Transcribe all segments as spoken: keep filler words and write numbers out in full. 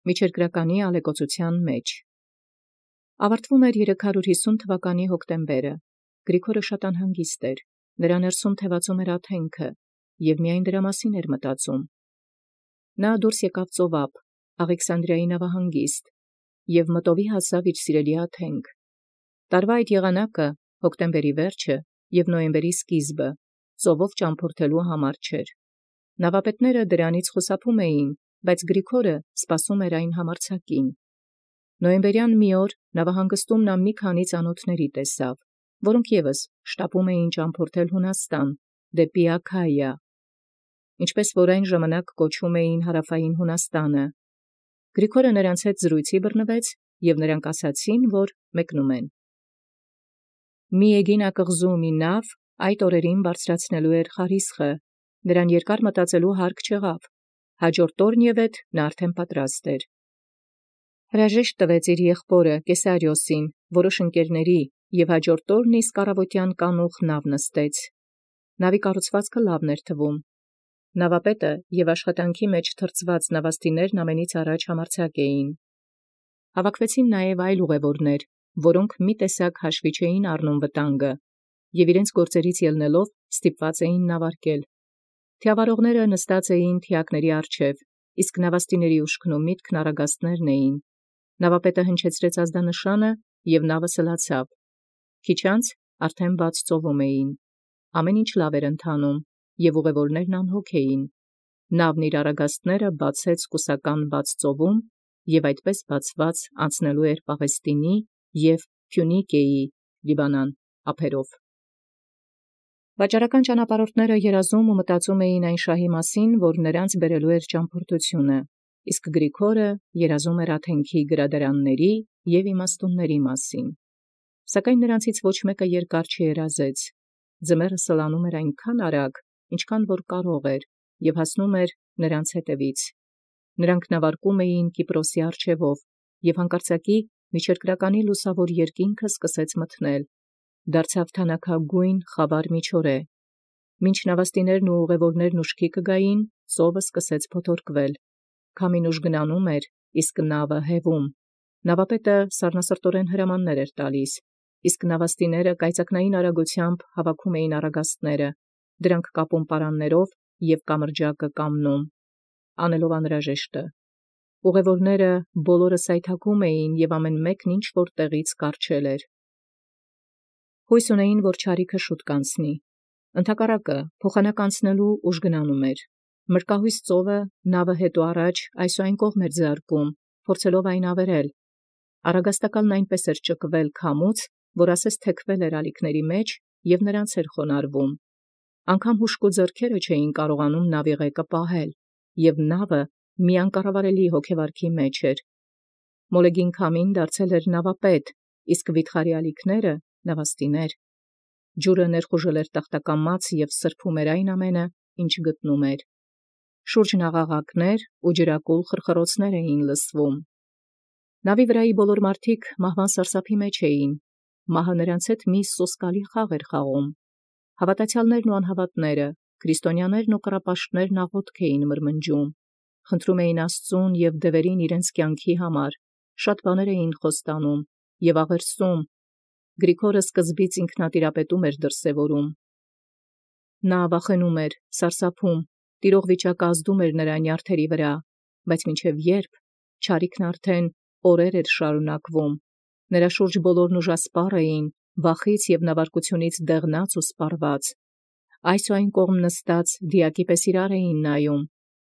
Միջերկրականի ալեկոծութեան մեջ։ Ավարտվում էր երեք հարյուր յիսուն թվականի հոկտեմբերը, Գրիգորը շատ անհանգիստ էր, նրա ներսում թևածում էր աթենքը, և միայն դրա մասին էր մտածում։ Նա դուրս եկավ ծովափ, Աղեքսանդրիայի նավահանգիստ, և մտովի հասավ իր սիրելի աթենք։ Տարվա այդ եղանակը, հոկտեմբերի վերջը և նոյեմբերի սկիզբը, ծովով ճամփորդելու համար չէր։ Նավապետները դրանից խուսափում էին, բայց Գրիգորը սպասում էր այն համարձակին։ Նոյեմբերյան մի օր նավահանգստում նա մի քանի ծանոթների տեսավ, որոնք ևս շտապում էին ճամփորդել Հունաստան, դեպի Աքայիա, ինչպես որ այն ժամանակ կոչում էին Հարավային Հունաստանը։ Գրիգորը նրանց հետ զրույցի բռնվեց, և նրանք ասացին, որ մեկնում են։ Մի էգին ակղզու մի նավ այդ օրերին բարձրացնելու էր խարիսխը, նրան երկար մտածելու հարկ չեղավ, հաջորդ օրն ևեթ նա արդեն պատրաստ էր։ Հրաժեշտ տվեց իր եղբորը Կեսարիոսին, որոշ ընկերների, և հաջորդ օրն իսկ առավոտյան կանուխ նավ նստեց։ Նավի կառուցվածքը լավն էր թվում։ Նավապետը և աշխատանքի մեջ թրծված նավաստիներն ամենից առաջ համարձակ էին։ Հավաքվեցին նաև այլ ուղևորներ, որոնք մի տեսակ հաշվի չէին առնում վտանգը, և իրենց գործերից ելնելով ստիպված էին նավարկել։ Թիավարողները նստած էին թիակների առջև, իսկ նավաստիների ուշքն ու միտքն առագաստներն էին։ Նավապետը հնչեցրեց ազդանշանը, և նավը սլացավ։ Քիչ անց արդեն բաց ծովում էին։ Ամեն ինչ լավ էր ընթանում, և ուղևորներն անհոգ էին։ Նավն իր առագաստները բացեց կուսական բաց ծովում, և այդպես բացված անցնելու էր Պաղեստինի և Փյունիկիեի (Լիբանան) ափերով։ Վաճառական ճանապարհորդները երազում ու մտածում էին այն շահի մասին, որ նրանց բերելու էր ճամփորդությունը, իսկ Գրիգորը երազում էր աթենքի գրադարանների և իմաստունների մասին։ Սակայն նրանցից ոչ մեկը երկար չերազեց։ Ձմեռը սլանում էր այնքան արագ, ինչքան որ կարող էր, և հասնում էր նրանց հետևից։ Նրանք նավարկում էին Կիպրոսի առջևով, և հանկարծակի միջերկրականի լուսավոր երկինքը սկսեց մթնել, դարձավ թանաքագույն խավար միջօրե։ Մինչ նավաստիներն ու ուղևորներն ուշքի կգային, ծովը սկսեց փոթորկվել։ Քամին ուժգնանում էր, իսկ նավը հեվում։ Նավապետը սառնասրտորեն հրամաններ էր տալիս, իսկ նավաստիները կայծակնային արագությամբ հավաքում էին առագաստները, դրանք կապում պարաններով և կամրջակը կամնում, անելով անհրաժեշտը։ Ուղևորները բոլորը սայթաքում էին, և ամեն մեկն ինչ-որ տեղից կառչել էր։ Հույս ունեին, որ չարիքը շուտ կանցնի։ Ընդհակառակը, փոխանակ անցնելու ուժգնանում էր։ Մրկահույս ծովը նավը հետո առաջ այս ու այն կողմ էր ձարկում, փորձելով այն ավերել։ Առագաստակալն այնպես էր ճկվել քամուց, որ ասես թեքվել էր ալիքների մեջ և նրանց էր խոնարհվում։ Անգամ հուժկու ձեռքերը չէին կարողանում նավի ղեկը պահել, և նավը մի անկառավարելի հոգեվարքի մեջ էր։ Մոլեգին քամին դարձել էր նավապետ, իսկ վիթխարի ալիքները նավաստիներ։ Ջուրը ներխուժել էր տախտակամած և սրբում էր այն ամենը, ինչ գտնում էր։ Շուրջն աղաղակներ ու ջրակուլ խրխրոցներ էին լսվում։ Նավի վրայի բոլոր մարդիկ մահվան սարսափի մեջ էին։ Մահը նրանց հետ մի սոսկալի խաղ էր խաղում։ Հավատացյալներն ու անհավատները, քրիստոնյաներն ու կռապաշտներն աղոթք էին մրմնջում, խնդրում էին Աստծուն և դևերին իրենց կյանքի համար, շատ բաներ էին խոստանում և աղերսում։ Գրիգորը սկզբից ինքնատիրապետում էր դրսևորում։ Նա վախենում էր, սարսափում, տիրող վիճակը ազդում էր նրա նյարդերի վրա, բայց մինչև ե՞րբ, չարիքն արդեն օրեր էր շարունակվում։ Նրա շուրջ բոլորն ուժասպառ էին, վախից և նավարկությունից դեղնած ու սպառված։ Այս ու այն կողմ նստած դիակի պես իրար էին նայում։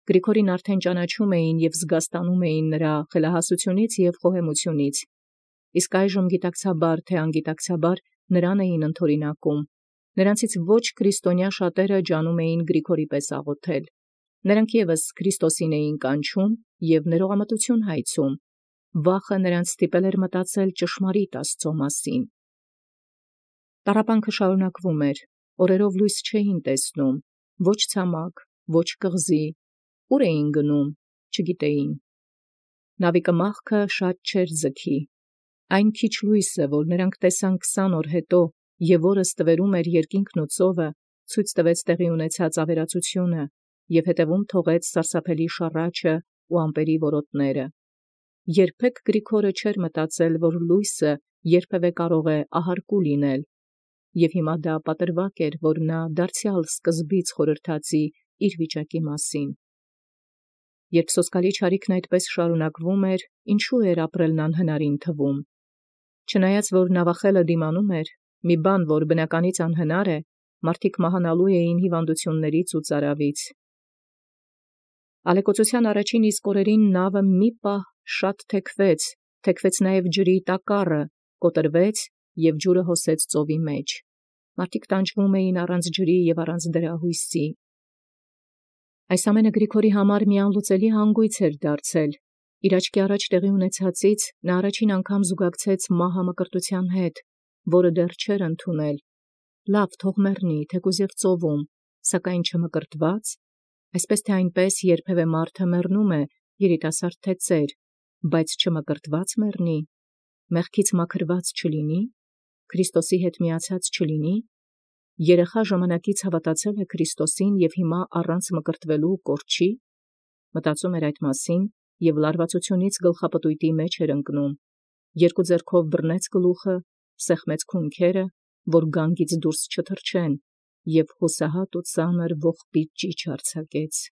Գրիգորին արդեն ճանաչում էին և զգաստանում էին նրա խելահասությունից և խոհեմությունից, իսկ այժմ գիտակցաբար թե անգիտակցաբար նրան էին ընդօրինակում։ Նրանցից ոչ քրիստոնյա շատերը ջանում էին Գրիգորի պես աղոթել։ Նրանք ևս Քրիստոսին էին կանչում և ներողամտություն հայցում։ Վախը նրանց ստիպել էր մտածել ճշմարիտ Աստծո մասին։ Տառապանքը շարունակվում էր, օրերով լույս չէին տեսնում, ոչ ցամաք, ոչ կղզի, ուր էին գնում, չգիտեին։ Նավի կմախքը շատ չէր ձգի։ Այն քիչ լույսը, որ նրանք տեսան քսան օր հետո, և որը ստվերում էր երկինքն ու ծովը, ցույց տվեց տեղի ունեցած ավերածությունը և հետևում թողեց սարսափելի շառաչը ու ամպերի որոտները։ երբեք Գրիգորը չէր մտածել, որ լույսը երբևէ կարող է ահարկու լինել, և հիմա դա պատրվակ էր, որ նա դարձյալ սկզբից խորհրդածի իր վիճակի մասին։ Երբ սոսկալի չարիքն այդպես շարունակվում էր, ինչու էր ապրելն անհնարին թվում։ Չնայած որ նավախելը դիմանում էր, մի բան, որ բնականից անհնար է, մարդիկ մահանալու էին հիվանդություններից ու ծարավից։ Ալեկոծության առաջին իսկ օրերին նավը մի պահ շատ թեքվեց, թեքվեց նաև ջրի տակառը, կոտրվեց և ջուրը հոսեց ծովի մեջ։ Մարդիկ տանջվում էին առանց ջրի և առանց դրահույսի։ Այս ամենը Գրիգորի համար մի անլուծելի հանգույց էր դարձել։ Իր աչքի առաջ տեղի ունեցածից նա առաջին անգամ զուգակցեց մահը մկրտության հետ, որը դեռ չէր ընդունել։ Լավ, թող մեռնի, թեկուզ և ծովում, սակայն չմկրտված, այսպես թե այնպես երբևէ մարդը մեռնում է, երիտասարդ թե ծեր, բայց չմկրտված մեռնի, մեղքից մաքրված չլինի, Քրիստոսի հետ միացած չլինի, երեխա ժամանակից հավատացել է Քրիստոսին և հիմա առանց մկրտվելու կորչի, մտածում էր այդ մասին և լարվածությունից գլխապտույտի մեջ էր ընկնում, երկու ձեռքով բռնեց գլուխը, սեղմեց քունքերը, որ գանգից դուրս չթռչեն, և հուսահատ ու ծանր ողբից ճիչ արձակեց։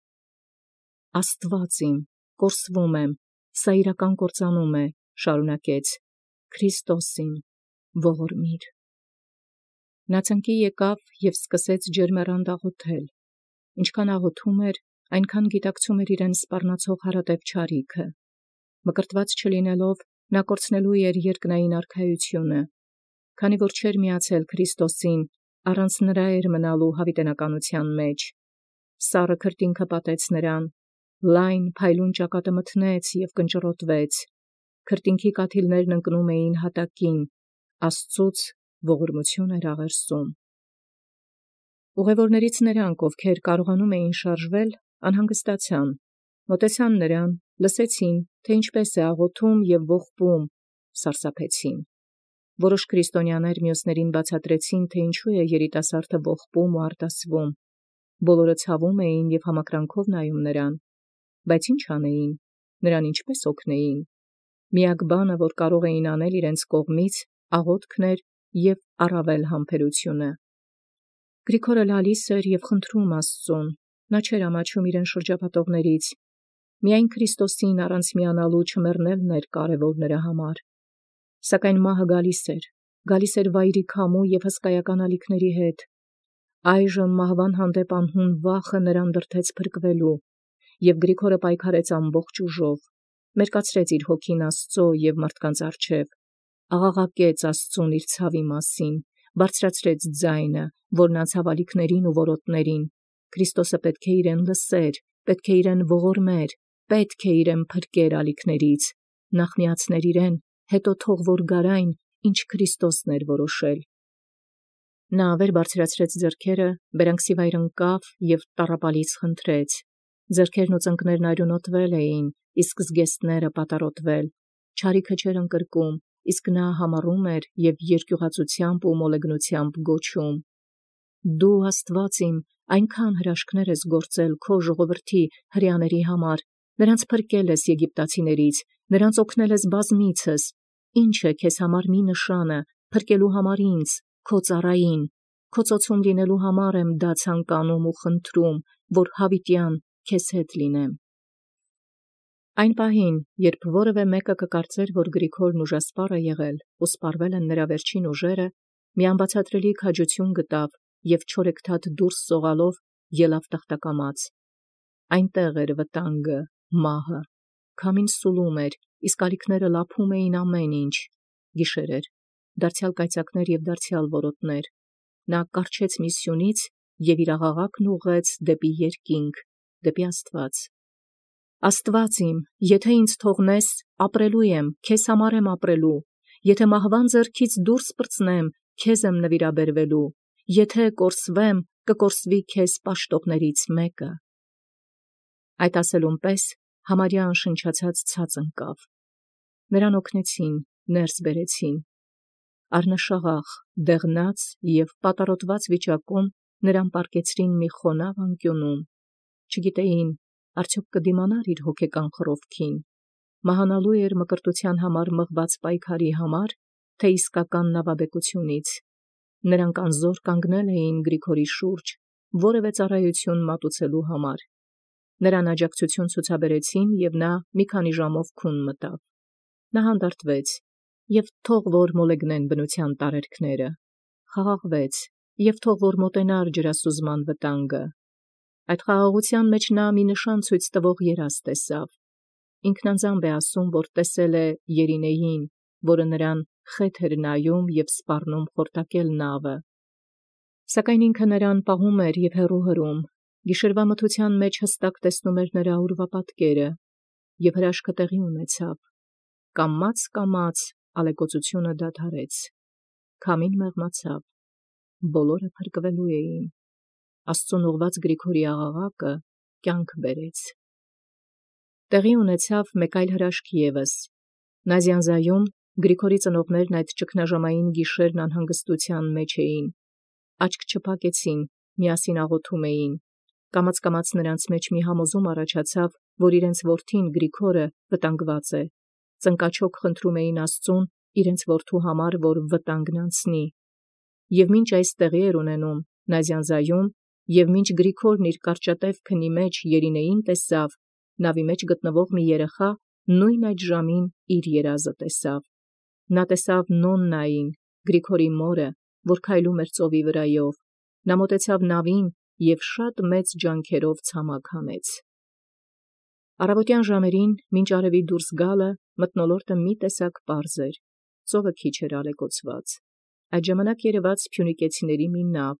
Աստված իմ, կորսվում եմ, սա իրական կործանում է, շարունակեց, Քրիստոս իմ, ողորմիր։ Նա ծնկի եկավ և սկսեց ջերմեռանդ աղոթել։ Ինչքան աղոթում էր, այնքան գիտակցում էր իրեն սպառնացող հարատև չարիքը։ Մկրտված չլինելով, նա կորցնելու էր երկնային արքայությունը։ Քանի որ չէր միացել Քրիստոսին, առանց նրա էր մնալու հավիտենականության մեջ։ Սառը քրտինքը պատեց նրան, լայն փայլուն ճակատը մթնեց և կնճռոտվեց, քրտինքի կաթիլներն ընկնում էին հատակին, Աստծուց ողորմություն էր աղերսում։ Ուղևորներից նրանք, ովքեր կարողանում էին շարժվել, անհանգստացան, մոտեցան նրան, լսեցին, թե ինչպես է աղոթում և ողբում, սարսափեցին։ Որոշ քրիստոնյաներ մյուսներին բացատրեցին, թե ինչու է երիտասարդը ողբում ու արտասվում։ Բոլորը ցավում էին և համակրանքով նայում նրան, բայց ինչ անեին, նրան ինչպես օգնեին։ Միակ բանը, որ կարող էին անել իրենց կողմից, աղոթքն էր և առավել համբերությունը։ Գրիգորը լալիս էր և խնդրում Աստծուն, նա չէր ամաչում իրեն շրջապատողներից, միայն Քրիստոսին առանց միանալու չմեռնելն էր կարևոր նրա համար։ Սակայն մահը գալիս էր, գալիս էր վայրի քամու և հսկայական ալիքների հետ։ Այժմ մահվան հանդեպ անհուն վախը նրան դրդեց փրկվելու, և Գրիգորը պայքարեց ամբողջ ուժով, մերկացրեց իր հոգին Աստծո և մարդկանց առջև, աղաղակեց Աստծուն իր ցավի մասին, բարձրացրեց ձայնը, որն անցավ ալիքներին ու որոտներին։ Քրիստոսը պետք է իրեն լսեր, պետք է իրեն ողորմեր, պետք է իրեն փրկեր ալիքներից, նախ միացներ իրեն, հետո թող որ գար այն, ինչ Քրիստոսն էր որոշել։ Նա վեր բարձրացրեց ձեռքերը, բերանքսիվայր ընկավ և տառապալից խնդրեց։ Ձեռքերն ու ծնկներն արյունոտվել էին, իսկ զգեստները պատառոտվել, չարիքը չէր ընկրկում, իսկ նա համառում էր և երկյուղածությամբ ու մոլեգնությամբ գոչում. «Դու, Աստված իմ, այնքան հրաշքներ ես գործել քո ժողովրդի հրեաների համար, նրանց փրկել ես եգիպտացիներից, նրանց օգնել ես բազմիցս, ինչ է քեզ համար մի նշանը, փրկելու համար ինձ, քո ծառային, քո ծոցում լինելու համար եմ դա ցանկանում ու խնդրում, որ հավիտյան քեզ հետ լինեմ»։ Այն պահին, երբ որևէ մեկը կկարծեր, որ Գրիգորն ուժասպառ է եղել ու սպառվել են նրա վերջին ուժերը, մի անբացատրելի քաջություն գտավ և չորեքթաթ դուրս սողալով ելավ տախտակամաց։ Այնտեղ էր վտանգը, մահը, քամին սուլում էր, իսկ ալիքները լափում էին ամեն ինչ։ Գիշեր էր, դարձյալ կայծակներ և դարձյալ որոտներ։ Նա կառչեց մի սյունից և իր աղաղակն ուղղեց դեպի երկինք, դեպի Աստված։ «Աստված իմ, եթե ինձ թողնես, ապրելու եմ, քեզ համար եմ ապրելու, եթե մահվան ձեռքից դուրս պրծնեմ, քեզ եմ նվիրաբերվելու, եթե կորսվեմ, կկորսվի քեզ պաշտողներից մեկը»։ Այդ ասելուն պես համարյա անշնչացած ցած ընկավ։ Նրան օգնեցին, ներս բերեցին։ Առնշաղախ, դեղնած և պատառոտված վիճակում նրան պառկեցրին մի խոնավ անկյունում։ Չգիտեին, արդյոք կդիմանա՞ր իր հոգեկան խռովքին։ մահանալու էր մկրտության համար մղված պայքարի համար, թե իսկական նավաբեկությունից։ Նրանք անզոր կանգնել էին Գրիգորի շուրջ, որևէ ծառայություն մատուցելու համար։ Նրան աջակցություն ցուցաբերեցին, և նա մի քանի ժամով քուն մտավ։ Նա հանդարտվեց, և թող որ մոլեգնեն բնության տարերքները, խաղաղվեց, և թող որ մոտենար ջրասուզման վտանգը։ Այդ խաղաղության մեջ նա մի նշան ցույց տվող երազ տեսավ։ Ինքն անձամբ է ասում, որ տեսել է Երինեին, որը նրան խեթ էր նայում և սպառնում խորտակել նավը։ Սակայն ինքը նրան պահում էր և հեռու հրում, գիշերվա մթության մեջ հստակ տեսնում էր նրա ուրվապատկերը, և հրաշքը տեղի ունեցավ։ Կամաց-կամաց ալեկոծությունը դադարեց, քամին մեղմացավ, բոլորը փրկվելու էին։ Աստծուն ուղղված Գրիգորի աղաղակը կյանք բերեց։ Տեղի ունեցավ մեկ այլ հրաշք ևս։ Նազյանզայում Գրիգորի ծնողներն այդ ճգնաժամային գիշերն անհանգստության մեջ էին, աչք չփակեցին, միասին աղոթում էին։ Կամաց-կամաց նրանց մեջ մի համոզում առաջացավ, որ իրենց որդին Գրիգորը վտանգված է։ Ծնկաչոք խնդրում էին Աստծուն իրենց որդու համար, որ վտանգն անցնի։ Եվ մինչ այս տեղի էր ունենում Նազյանզայում, և մինչ Գրիգորն իր կարճատև քնի մեջ Երինեին տեսավ, նավի մեջ գտնվող մի երեխա նույն այդ ժամին իր երազը տեսավ։ Նա տեսավ Նոննային, Գրիգորի մորը, որ քայլում էր ծովի վրայով։ Նա մոտեցավ նավին և շատ մեծ ջանքերով ցամաք հանեց։ Առավոտյան ժամերին, մինչ արևի դուրս գալը, մթնոլորտը մի տեսակ պարզ էր, ծովը քիչ էր ալեկոծված։ Այդ ժամանակ երևաց փյունիկեցիների մի նավ,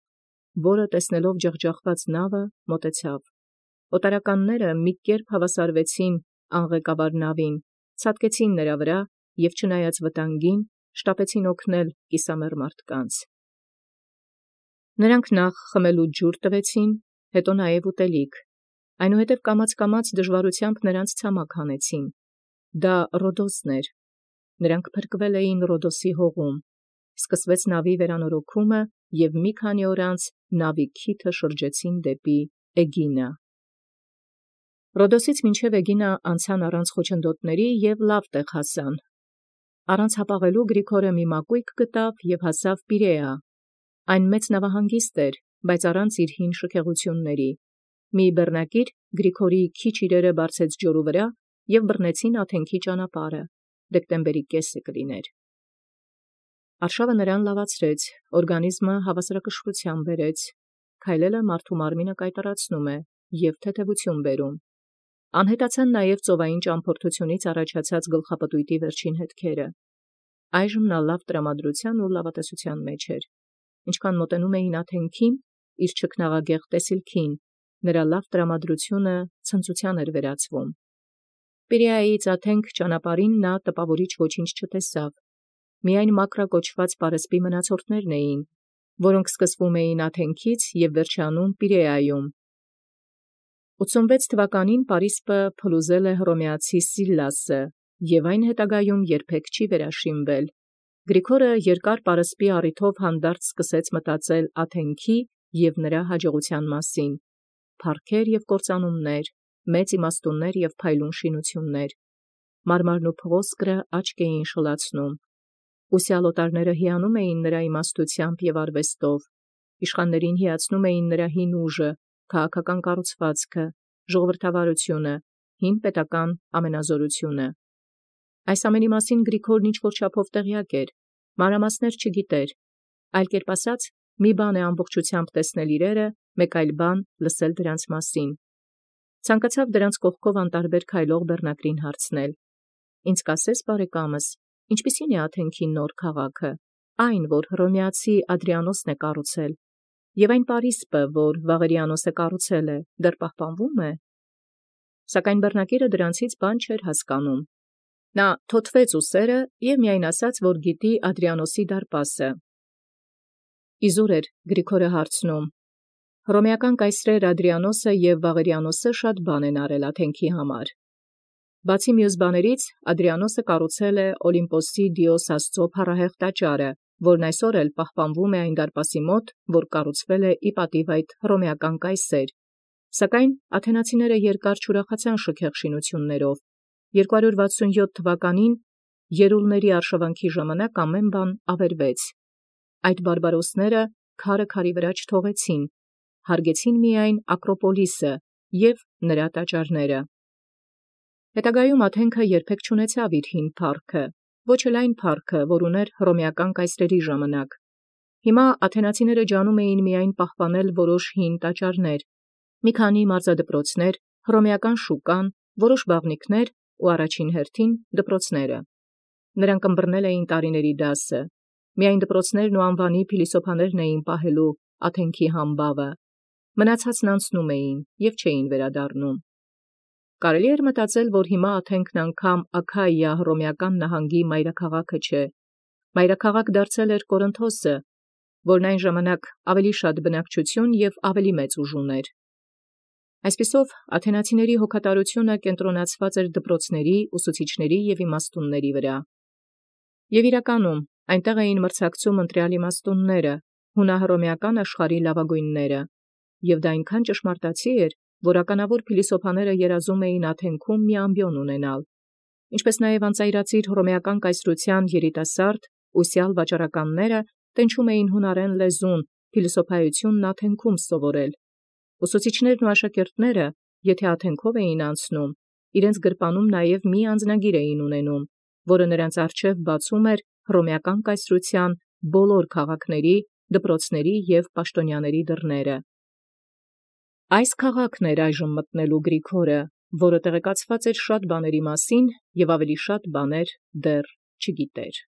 որը տեսնելով ջախջախված նավը, մոտեցավ։ Օտարականները մի կերպ հավասարվեցին անղեկավար նավին, ցատկեցին նրա վրա և չնայած վտանգին, շտապեցին օգնել կիսամեռ մարդկանց։ Նրանք նախ խմելու ջուր տվեցին, հետո նաև ուտելիք, այնուհետև կամաց-կամաց դժվարությամբ նրանց ցամաք հանեցին։ Դա Ռոդոսն էր։ Նրանք փրկվել էին Ռոդոսի հողում։ Սկսվեց նավի վերանորոգումը, և մի քանի օր անց նավի քիթը շրջեցին դեպի Էգինա։ Ռոդոսից մինչև Էգինա անցան առանց խոչընդոտների և լավ տեղ հասան։ Առանց հապաղելու Գրիգորը մի մակույկ գտավ և հասավ Պիրեա։ Այն մեծ նավահանգիստ էր, բայց առանց իր հին շքեղությունների։ Մի բեռնակիր Գրիգորի քիչ իրերը բարձեց ջորու վրա և բռնեցին աթենքի ճանապարհը, դեկտեմբերի կեսը կլիներ։ Արշավը նրան լավացրեց, օրգանիզմը հավասարակշռության բերեց, քայլելը մարդու մարմինը կայտառացնում է և թեթևություն բերում։ Անհետացան նաև ծովային ճամփորդությունից առաջացած գլխապտույտի վերջին հետքերը։ Այժմ նա լավ տրամադրության ու լավատեսության մեջ էր։ Ինչքան մոտենում էին աթենքին, իր չքնաղագեղ տեսիլքին, նրա լավ տրամադրությունը ցնծության էր վերածվում։ Պիրեայից աթենք ճանապարհին նա տպավորիչ ոչինչ չտեսավ։ Միայն Մակրա կոչված պարսպի մնացորդներն էին, որոնք սկսվում էին աթենքից և վերջանում Պիրեայում։ ութսունվեց թվականին Պարիսպը փլուզել է հռոմեացի Սիլլասը, և այն հետագայում երբեք չի վերաշինվել։ Գրիգորը երկար պարսպի առիթով հանդարտ սկսեց մտածել աթենքի և նրա հաջողության մասին։ Փառքեր և կործանումներ, մեծ իմաստուններ և փայլուն շինություններ։ Մարմարն ու փղոսկրը աչք էին շլացնում։ Ուսյալ օտարները հիանում էին նրա իմաստությամբ և արվեստով, իշխաններին հիացնում էին նրա հին ուժը, քաղաքական կառուցվածքը, ժողովրդավարությունը, հին պետական ամենազորությունը։ Այս ամենի մասին Գրիգորն ինչ-որ չափով տեղյակ էր, մանրամասներ չգիտեր, այլ կերպ ասած, մի բան է ամբողջությամբ տեսնել իրերը, մեկ այլ բան լսել դրանց մասին։ Ցանկացավ դրանց կողքով անտարբեր քայլող բեռնակրին հարցնել. «Ինձ կասե՞ս, բարեկամս, ինչպիսի՞ն է աթենքի նոր քաղաքը, այն, որ հռոմեացի Ադրիանոսն է կառուցել, և այն Պարիսպը, որ Վաղերիանոսը կառուցել է, դեռ պահպանվո՞ւմ է»։ Սակայն բեռնակիրը դրանցից բան չէր հասկանում։ Նա թոթվեց ուսերը և միայն ասաց, որ գիտի Ադրիանոսի դարպասը։ Իզուր էր Գրիգորը հարցնում. «Հռոմեական կայսրեր Ադրիանոսը և Վաղերիանոսը շատ բան են արել աթենքի համար։ Բացի մյուս բաներից, Ադրիանոսը կառուցել է Օլիմպոսի Դիոս Աստծո փառահեղ տաճարը, որն այսօր էլ պահպանվում է այն դարպասի մոտ, որ կառուցվել է ի պատիվ այդ հռոմեական կայսեր։ Սակայն աթենացիները երկար չուրախացան շքեղ շինություններով, երկու հարյուր վաթսուն յոթ թվականին երուլների արշավանքի ժամանակ ամեն բան ավերվեց։ Այդ բարբարոսները քարը քարի վրա չթողեցին, հարգեցին միայն Ակրոպոլիսը և նրա տաճարները։ Հետագայում Աթենքը երբեք չունեցավ իր հին փառքը, ոչ էլ այն փառքը, որ ուներ հռոմեական կայսրերի ժամանակ։ Հիմա աթենացիները ջանում էին միայն պահպանել որոշ հին տաճարներ, մի քանի մարզադպրոցներ, հռոմեական շուկան, որոշ բաղնիքներ ու առաջին հերթին դպրոցները։ Նրանք ըմբռնել էին տարիների դասը, միայն դպրոցներն ու անվանի փիլիսոփաներն էին պահելու Աթենքի համբավը, մնացածն անցնում էին և չէին վերադառնում։ Կարելի էր մտածել, որ հիմա Աթենքն անգամ Աքայիա հռոմեական նահանգի մայրաքաղաքը չէ, մայրաքաղաք դարձել էր Կորինթոսը, որն այն ժամանակ ավելի շատ բնակչություն և ավելի մեծ ուժ ուներ։ Այսպիսով աթենացիների հոգատարությունը կենտրոնացված էր դպրոցների, ուսուցիչների և իմաստունների վրա։ Եւ իրականում այնտեղ էին մրցակցում ընտրյալ իմաստունները, հունահռոմեական աշխարհի լավագույնները, և դա այնքան ճշմարտացի էր, որ ականավոր փիլիսոփաները երազում էին Աթենքում մի ամբիոն ունենալ, ինչպես նաև անծայրածիր հռոմեական կայսրութեան երիտասարդ ուսյալ վաճառականները տենչում էին հունարեն լեզուն, փիլիսոփայությունն Աթենքում սովորել։ Ուսուցիչներն ու աշակերտները, եթե Աթենքով էին անցնում, իրենց գրպանում նաև մի անձնագիր էին ունենում, որը նրանց առջև բացում էր հռոմեական կայսրութեան բոլոր քաղաքների, դպրոցների և պաշտոնյաների դռները։ Այս քաղաքն էր այժմ մտնելու Գրիգորը, որը տեղեկացված էր շատ բաների մասին և ավելի շատ բաներ դեռ չգիտեր։